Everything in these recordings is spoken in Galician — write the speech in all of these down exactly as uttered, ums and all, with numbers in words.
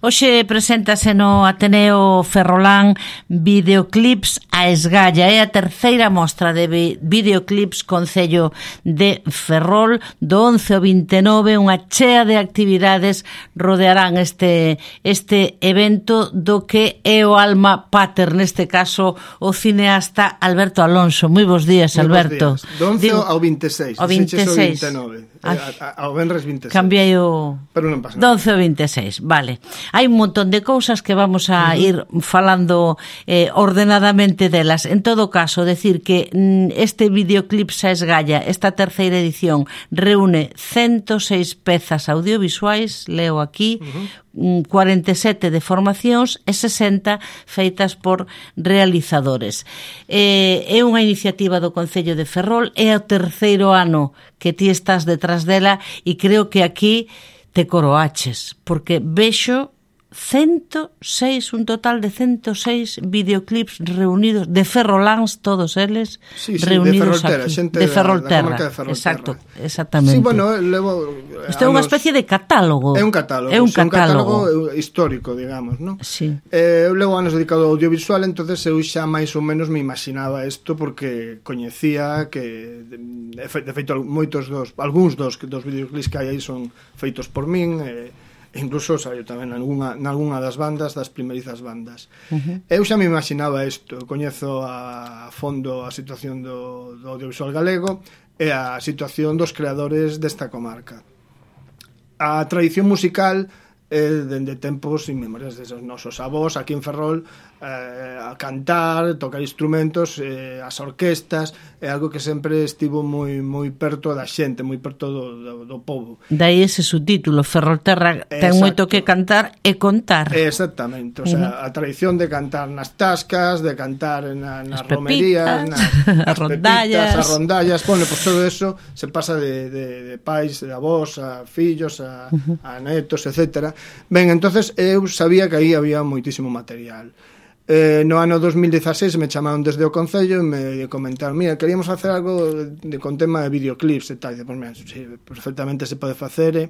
Hoxe preséntase no Ateneo Ferrolán Videoclips a Esgalla. É a terceira mostra de videoclips Concello de Ferrol. Do once ao vinte e nove, unha chea de actividades rodearán este, este evento do que é o alma pater, neste caso o cineasta Alberto Alonso. Moi bons días, Alberto. Bons días. Do once Digo, ao vinte e seis. Ao vinte e seis. vinte e nove. Ao venres vinte e seis. Cambiei o... Pero non pasa nada. Do once ao vinte e seis, vale. Hai un montón de cousas que vamos a uh-huh. ir falando eh, ordenadamente delas. En todo caso, decir que mm, este videoclip a Esgalla, esta terceira edición, reúne ciento seis pezas audiovisuais, leo aquí, uh-huh. cuarenta e sete de formacións e sesenta feitas por realizadores. Eh, é unha iniciativa do Concello de Ferrol, é o terceiro ano que ti estás detrás dela e creo que aquí te coroaches, porque vexo ciento seis, un total de ciento seis videoclips reunidos de ferroláns, todos eles sí, sí, reunidos de Ferrolterra, aquí. Xente de Ferrolterra, de Ferrolterra. Exacto, exactamente. Sí, bueno, levo isto é unha especie de catálogo. É un catálogo, é un sí, catálogo. un catálogo histórico, digamos, ¿no? Sí. Eh, eu levo anos dedicado ao audiovisual, entonces eu xa máis ou menos me imaginaba isto porque coñecía que de feito moitos dos, algúns dos dos videoclips que hai aí son feitos por min, eh, incluso saiu tamén nalgúna, nalgúna das bandas, das primerizas bandas. Uh-huh. Eu xa me imaginaba isto, coñezo a fondo a situación do, do audiovisual galego e a situación dos creadores desta comarca. A tradición musical é dende tempos inmemoriais deses nosos avós aquí en Ferrol, eh, a cantar, tocar instrumentos, eh, as orquestas, é algo que sempre estivo moi moi perto da xente, moi perto do, do, do povo. Dai ese subtítulo, Ferrolterra ten Exacto. moito que cantar e contar. Exactamente, o sea, uh-huh. a tradición de cantar nas tascas, de cantar na, nas pepitas, romerías, nas, as rondallas, pepitas, as rondallas, bueno, pues todo eso se pasa de, de, de pais, de avós, a fillos, a, uh-huh. a netos, etcétera. Ben, entonces eu sabía que aí había moitísimo material. Eh, no ano dos mil dieciséis me chamaron desde o Concello e me comentaron, mira, queríamos facer algo de, con tema de videoclips e tal. E, pues, mira, sí, perfectamente se pode facer,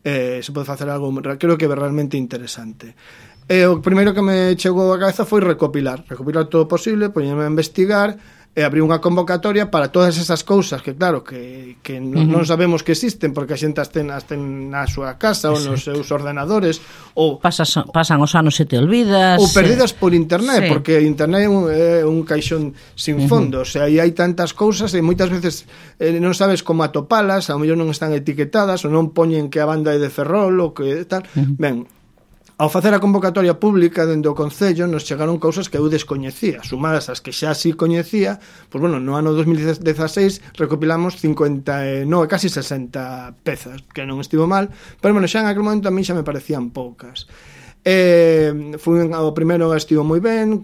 eh, se pode facer algo, creo que é realmente interesante. E o primeiro que me chegou a cabeza foi recopilar, recopilar todo o posible, poñerme a investigar, e abrir unha convocatoria para todas esas cousas que, claro, que, que uh-huh. non sabemos que existen porque a xente as ten, as ten na súa casa ou nos seus ordenadores ou Pasas, pasan os anos e te olvidas ou perdidas por internet, sí. Porque internet é un, é un caixón sin fondo, uh-huh. o sea, aí hai tantas cousas e moitas veces eh, non sabes como atopalas, ao mellor non están etiquetadas ou non poñen que a banda é de Ferrol ou que tal, uh-huh. ben, ao facer a convocatoria pública dentro do Concello nos chegaron cousas que eu descoñecía, sumadas as que xa sí coñecía, pois bueno, no ano dos mil dieciséis recopilamos cincuenta e nove, casi sesenta pezas, que non estivo mal, pero bueno, xa en aquel momento a mí xa me parecían poucas. Eh, fui, o primeiro estivo moi ben,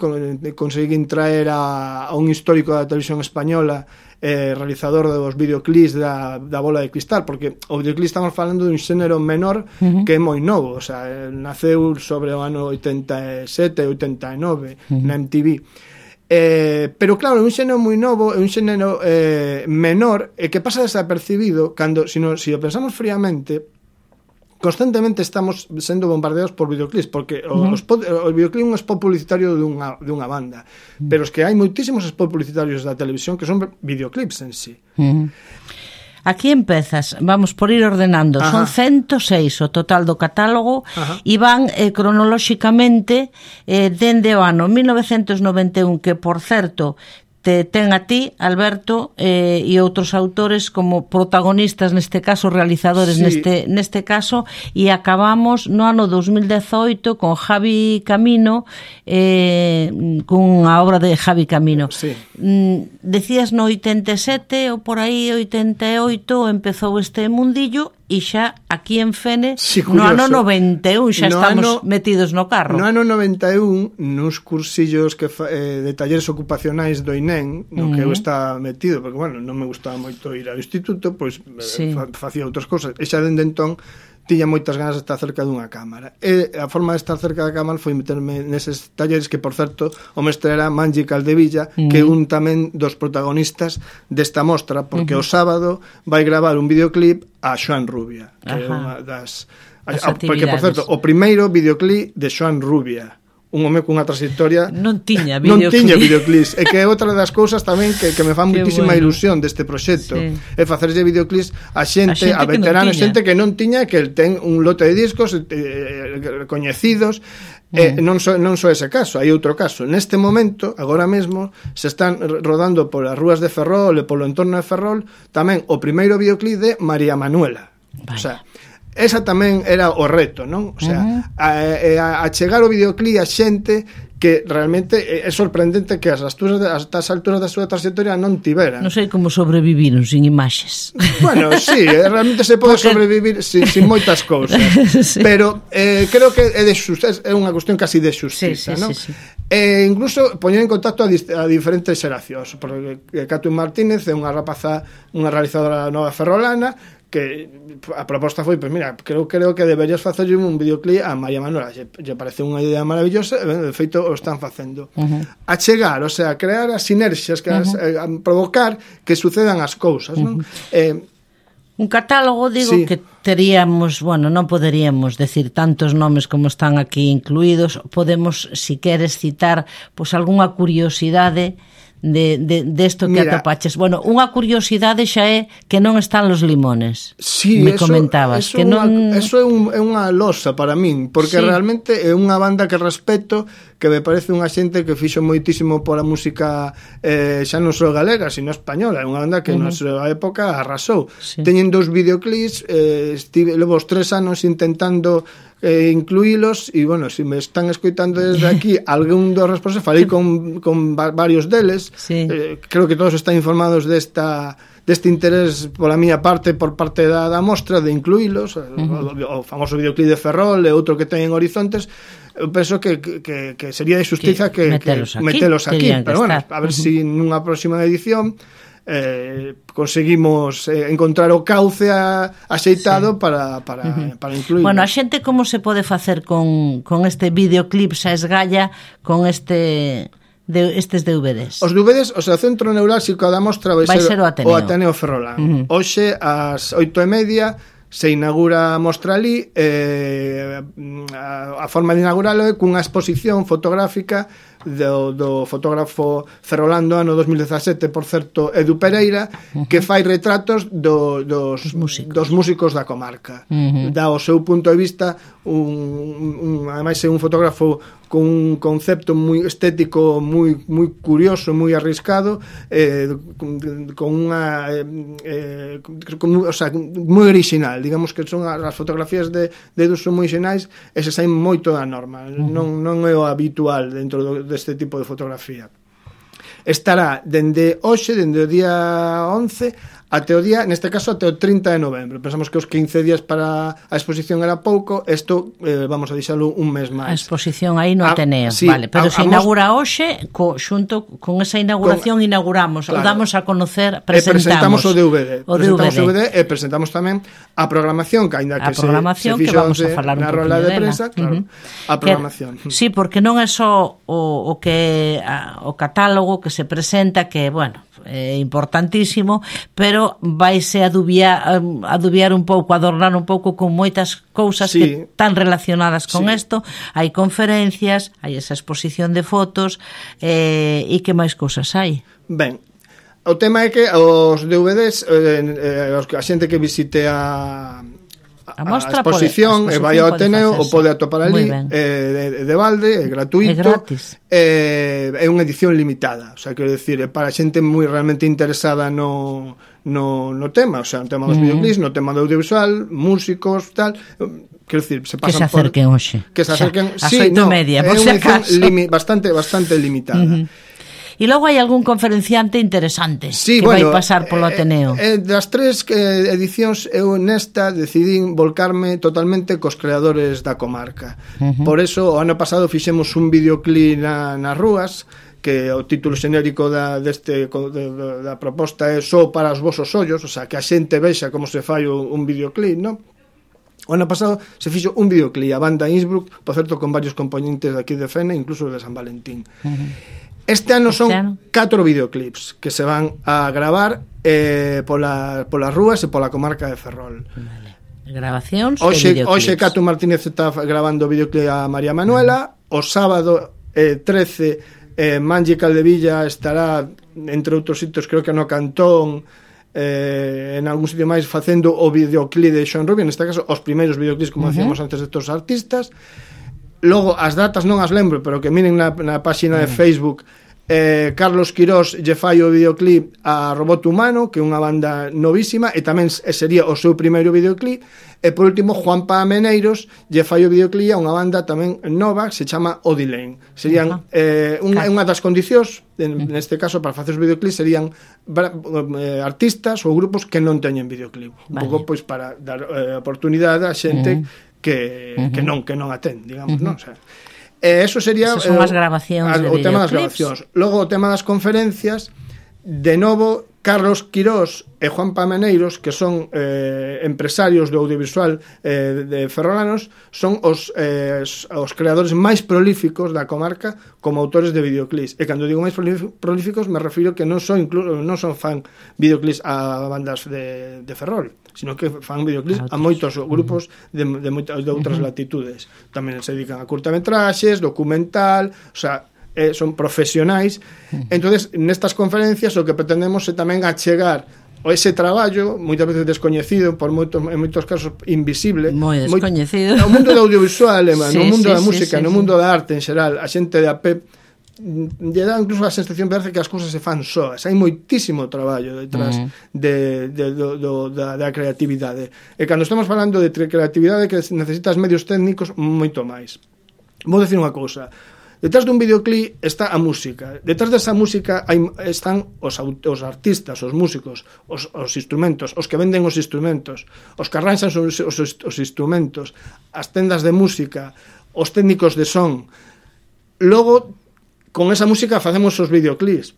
conseguín traer a, a un histórico da televisión española, eh, realizador dos videoclips da, da Bola de Cristal, porque o videoclip estamos falando dun xénero menor uh-huh. que é moi novo, o sea, naceu sobre o ano oitenta e sete, oitenta e nove uh-huh. na M T V. Eh, pero claro, é un xénero moi novo, é un xénero eh, menor e que pasa desapercibido cando, se si, si o pensamos fríamente, constantemente estamos sendo bombardeados por videoclips, porque uh-huh. os, o videoclip é un spot publicitario dunha, dunha banda, uh-huh. pero es que hai moitísimos spot publicitarios da televisión que son videoclips en sí. Uh-huh. Aquí empezas, vamos por ir ordenando. Ajá. Son ciento seis o total do catálogo. Ajá. E van eh, cronolóxicamente eh, dende o ano mil novecentos noventa e un, que por certo te ten a ti, Alberto, eh, e outros autores como protagonistas, neste caso realizadores, sí. neste neste caso, e acabamos no ano dos mil dezoito con Javi Camino, eh, cunha obra de Javi Camino. Sí. Mm, decías no oitenta e sete ou por aí oitenta e oito empezou este mundillo e xa aquí en Fene sí, no ano noventa e un xa no estamos ano, metidos no carro. No ano noventa e un, nos cursillos que fa, eh, de talleres ocupacionais do I N E M, no uh-huh. que eu estaba metido, porque, bueno, non me gustaba moito ir ao instituto, pois sí. fa, facía outras cousas, e xa dende entón tiña moitas ganas de estar cerca dunha cámara. E a forma de estar cerca da cámara foi meterme neses talleres que, por certo, o mestre era Mangi Caldevilla, uh-huh. que é un tamén dos protagonistas desta mostra, porque uh-huh. o sábado vai gravar un videoclip a Xoan Rubia, que Ajá. é unha das as a, actividades. Porque, por certo, o primeiro videoclip de Xoan Rubia, un home cunha trayectoria non tiña videoclip. non tiña videoclips, e que é outra das cousas tamén que, que me fan muitísima bueno. ilusión deste proxecto, sí. é facerlle videoclips a xente, a, a, xente a veteranos, non xente que non tiña, que ten un lote de discos eh, coñecidos. Eh, non, so, non só ese caso, hai outro caso. Neste momento, agora mesmo, se están rodando polas rúas de Ferrol e polo entorno de Ferrol tamén o primeiro videoclip de María Manuela. Vaya. O sea, esa tamén era o reto, non? O sea, uh-huh. a, a, a chegar o videoclip a xente que realmente é sorprendente que as alturas, hasta as alturas da súa trayectoria non tiveran. Non sei como sobreviviron sin imaxes. Bueno, sí, realmente se pode Porque... sobrevivir sin, sin moitas cousas. Sí. Pero eh, creo que é, de justiza, é unha cuestión casi de xustiza, sí, sí, non? Sí, sí. E incluso poñer en contacto a, a diferentes xeracións, porque Catherine Martínez é unha rapaza, unha realizadora nova ferrolana, que a proposta foi, pois mira, creo creo que deberías facerlle un videoclip a María Manuela, lle, lle parece unha idea maravillosa, e de feito o están facendo. Uh-huh. A chegar, o sea, crear as sinerxias, que uh-huh. as, eh, a provocar que sucedan as cousas, non? Uh-huh. Eh, un catálogo, digo, sí. que teríamos, bueno, non poderíamos decir tantos nomes como están aquí incluídos, podemos, si queres citar, pois algunha curiosidade de, de, de esto que Mira, atopaches. Bueno, unha curiosidade xa é que non están los limones. Sí, me eso, comentabas eso que non... unha, eso é, un, é unha losa para min, porque sí. realmente é unha banda que respeto, que me parece unha xente que fixo moitísimo pola música eh, xa non só galega, sino española. É unha banda que uh-huh. na súa época arrasou. Sí. Teñen dous videoclips, eh, estive levo os tres anos intentando eh, incluílos, e bueno, se si me están escoitando desde aquí algún dos responsables, falei con, con va- varios deles, sí. eh, creo que todos están informados desta deste interés pola miña parte, por parte da, da mostra, de incluílos, uh-huh. o, o famoso videoclip de Ferrol e outro que ten en Horizontes. Eu penso que, que, que sería de justiza que, que metelos aquí, que metelos aquí. Pero bueno, a ver uh-huh. se si nunha próxima edición Eh, conseguimos eh, encontrar o cauce a, axeitado sí. para, para, uh-huh. para incluir. Bueno, a xente como se pode facer con, con este videoclip xa esgalla, con este de, estes D V Ds? Os D V Ds, o sea, o centro neurálxico da mostra vai, vai ser, ser o Ateneo, o Ateneo Ferrolán. Uh-huh. Hoxe, ás oito e media, se inaugura a mostra ali, eh, a, a forma de inauguralo é cunha exposición fotográfica do, do fotógrafo ferrolano ano dos mil dezasete, por certo, Edu Pereira, uh-huh. que fai retratos do, dos, músicos. dos músicos da comarca. Uh-huh. Dá o seu punto de vista, un, un, ademais é un fotógrafo con un concepto moi estético moi moi curioso, moi arriscado, eh, con, con unha eh, con, o sea, moi original, digamos que son as fotografías de, de Edu son moi xenais, e se saen moito da norma. Uh-huh. Non, non é o habitual dentro do deste tipo de fotografía. Estará dende hoxe, dende o día once até o día, neste caso até o trinta de novembro. Pensamos que os quince días para a exposición era pouco, isto eh, vamos a deixalo un mes máis. A exposición aí no Ateneo, sí, vale, pero a, se inaugura mos... hoxe, co, xunto con esa inauguración con... inauguramos, claro. O damos a conocer, presentamos presentamos, o D V D, o presentamos D V D. o D V D e presentamos tamén a programación, que aínda que se, se fixo que vamos a falar un na rola de prensa, claro, uh-huh. a programación. Que, sí, porque non é só o, o que a, o catálogo que se presenta, que, bueno, é importantísimo, pero vaise adubiar, adubiar un pouco, adornar un pouco con moitas cousas sí. que están relacionadas con isto. Sí. Hai conferencias, hai esa exposición de fotos, eh, e que máis cousas hai? Ben, o tema é que os D V Ds, eh, eh, a xente que visite a A, mostra a exposición, pode, a exposición e vai ao Ateneo ou pode atopar ali, eh, de, de balde, é gratuito, é gratis, eh, é unha edición limitada, o sea, quero decir, é para xente moi realmente interesada no, no, no tema, o sea, no tema dos mm. videoclips, no tema do audiovisual, músicos, tal, quero decir, se pasan que se acerquen por, hoxe, que se acerquen, xa, sí, no, media, por é si unha edición limi, bastante, bastante limitada. Mm-hmm. E logo hai algún conferenciante interesante sí, que bueno, vai pasar polo Ateneo. Eh, eh, das tres eh, edicións, eu nesta decidín volcarme totalmente cos creadores da comarca. Uh-huh. Por eso, o ano pasado fixemos un videoclip na, nas rúas, que o título xenérico da, deste, de, da proposta é Só para os vosos ollos, o sea, que a xente vexa como se fai un, un videoclip, non? O ano pasado se fixo un videoclip, a banda Innsbruck, por certo, con varios componentes de aquí de Fene, incluso de San Valentín. Uh-huh. Este ano son catro videoclips que se van a gravar eh, pola, polas rúas e pola comarca de Ferrol. Vale. Grabacións hoxe, e videoclips. Hoxe Cato Martínez está grabando o videoclip a María Manuela. O sábado eh, trece eh, Manlle Caldevilla estará, entre outros sitios, creo que no Cantón, eh, en algún sitio máis, facendo o videoclip de Sean Rubio, neste caso os primeiros videoclips, como uh-huh. decíamos antes, de todos os artistas. Logo, as datas non as lembro, pero que miren na, na página uh-huh. de Facebook. Eh, Carlos Quirós lle fai o videoclip a Robot Humano, que é unha banda novísima, e tamén sería o seu primeiro videoclip. E por último, Juanpa Meneiros lle fai o videoclip a unha banda tamén nova que se chama Odilane. Serían uh-huh. eh, unha, unha das condicións, en, neste caso, para facer os videoclips serían eh, artistas ou grupos que non teñen videoclip. Un vale. pouco pois para dar eh, oportunidade a xente uh-huh. que, uh-huh. que non que non atén, digamos, uh-huh. non? O sea, E eso sería son as grabacións eh, o tema das grabacións. Logo o tema das conferencias, de novo Carlos Quirós e Juanpa Meneiros, que son eh, empresarios do audiovisual eh, de ferrolanos, son os, eh, os creadores máis prolíficos da comarca como autores de videoclips. E cando digo máis prolíficos me refiro que non son incluso non son fan videoclips a bandas de, de Ferrol, sino que fan videoclips a moitos grupos de, de, moitas, de outras uh-huh. latitudes. Tamén se dedican a curtametraxes, documental, o sea, eh, son profesionais. Uh-huh. Entonces, nestas conferencias o que pretendemos é tamén achegar o ese traballo, moitas veces descoñecido, por moitos, en moitos casos invisible, moi descoñecido, no mundo do audiovisual, sí, no mundo sí, da música, sí, sí, no mundo sí. da arte en xeral, a xente de a pé lle dá incluso a sensación de que as cousas se fan soas. Hai moitísimo traballo detrás uh-huh. de, de, do, do, da, da creatividade. E cando estamos falando de creatividade que necesitas medios técnicos, moito máis. Vou dicir unha cousa. Detrás dun videoclip está a música. Detrás desa música hai, están os, os artistas, os músicos, os, os instrumentos, os que venden os instrumentos, os que arranxan os, os, os instrumentos, as tendas de música, os técnicos de son. Logo, con esa música facemos os videoclips.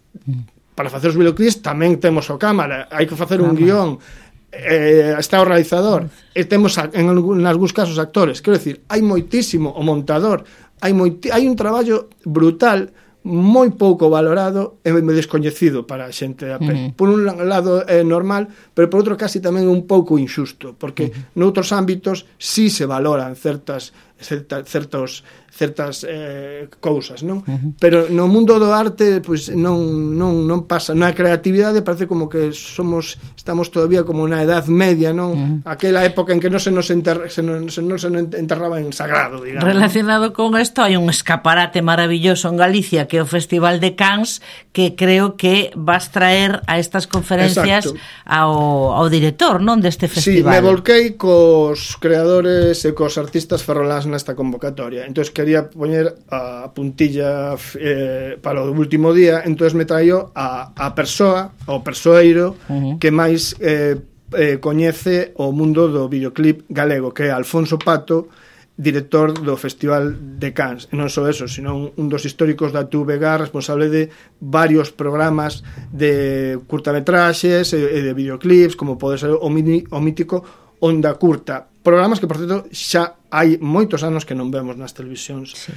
Para facer os videoclips tamén temos o cámara, hai que facer un guión, eh, está o realizador, e temos en algúns casos actores. Quero dicir, hai moitísimo o montador, hai moiti, hai un traballo brutal, moi pouco valorado e descoñecido para a xente de a pé. Uh-huh. Por un lado é normal, pero por outro casi tamén un pouco injusto, porque uh-huh. noutros ámbitos sí se valoran certas certa, certos certas eh, cousas, non? Uh-huh. Pero no mundo do arte pois non non non pasa, na creatividade parece como que somos estamos todavía como na edad media, non? Uh-huh. Aquela época en que non se nos enterra, se non se non se enterraba en sagrado, digamos. Relacionado con isto hai un escaparate maravilloso en Galicia que é o Festival de Cannes, que creo que vas traer a estas conferencias ao, ao director, non, deste festival. Sí, me volquei cos creadores e cos artistas ferroláns nesta convocatoria. Entonces quería poñer a puntilla eh, para o último día, entonces me traio a, a persoa, o persoeiro uh-huh. que máis eh, eh, coñece o mundo do videoclip galego, que é Alfonso Pato, director do Festival de Cannes. E non só eso, sino un, un dos históricos da T V G, responsable de varios programas de curtametraxes e, e de videoclips, como pode ser o, mini, o mítico Onda Curta. Programas que, por certo, xa hai moitos anos que non vemos nas televisións. Sí.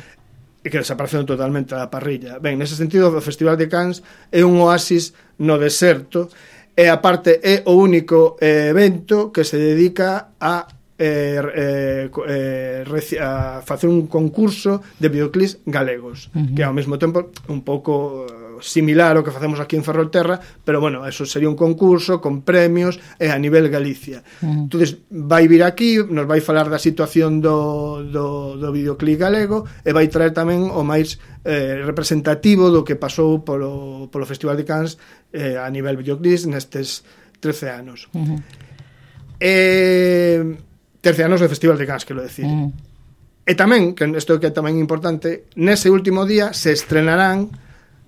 E que desaparecen totalmente da parrilla. Ben, nese sentido, o Festival de Cannes é un oasis no deserto, e aparte é o único eh, evento que se dedica a Eh, eh, eh, a facer un concurso de videoclips galegos, uh-huh. que ao mesmo tempo un pouco similar ao que facemos aquí en Ferrolterra, pero bueno, eso sería un concurso con premios e a nivel Galicia. Uh-huh. Entonces vai vir aquí, nos vai falar da situación do, do, do videoclip galego e vai traer tamén o máis eh, representativo do que pasou polo, polo Festival de Cannes eh, a nivel videoclips nestes trece anos. Uh-huh. Eh... trece anos do Festival de Cannes, quero decir. Mm. E tamén, que isto que é tamén importante, nese último día se estrenarán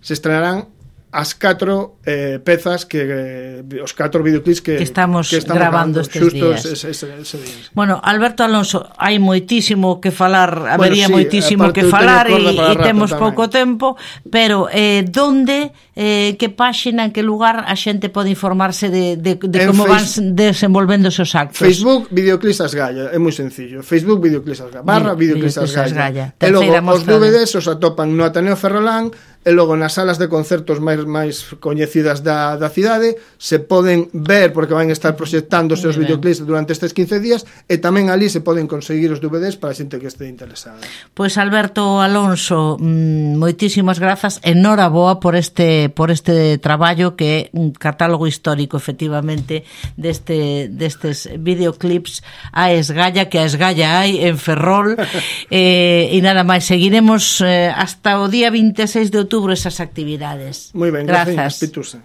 se estrenarán as catro eh, pezas que eh, os catro videoclips que, que estamos, que estamos grabando estes días. Ese, ese, ese día. Bueno, Alberto Alonso, hai moitísimo que falar, habería bueno, sí, moitísimo que falar e, e temos tamén. pouco tempo, pero eh, donde, eh, que páxina, en que lugar a xente pode informarse de, de, de como face... van desenvolvéndose os actos? Facebook, Videoclips Asgalla, é moi sencillo. Facebook, Videoclips Asgalla, barra Videoclips Asgalla. Asgalla. E logo, os D V Ds os atopan no Ateneo Ferrolán, e logo nas salas de concertos máis máis coñecidas da, da cidade se poden ver, porque van estar proxectándose os videoclips durante estes quince días, e tamén ali se poden conseguir os D V Ds para a xente que este interesada. Pois Alberto Alonso, moitísimas grazas, enhoraboa por este por este traballo que é un catálogo histórico efectivamente deste destes videoclips a esgalla, que a esgalla hai en Ferrol. eh, e nada máis, seguiremos eh, hasta o día vinte e seis de outubro esas actividades. Moi ben, grazas, gracias, Pitusa.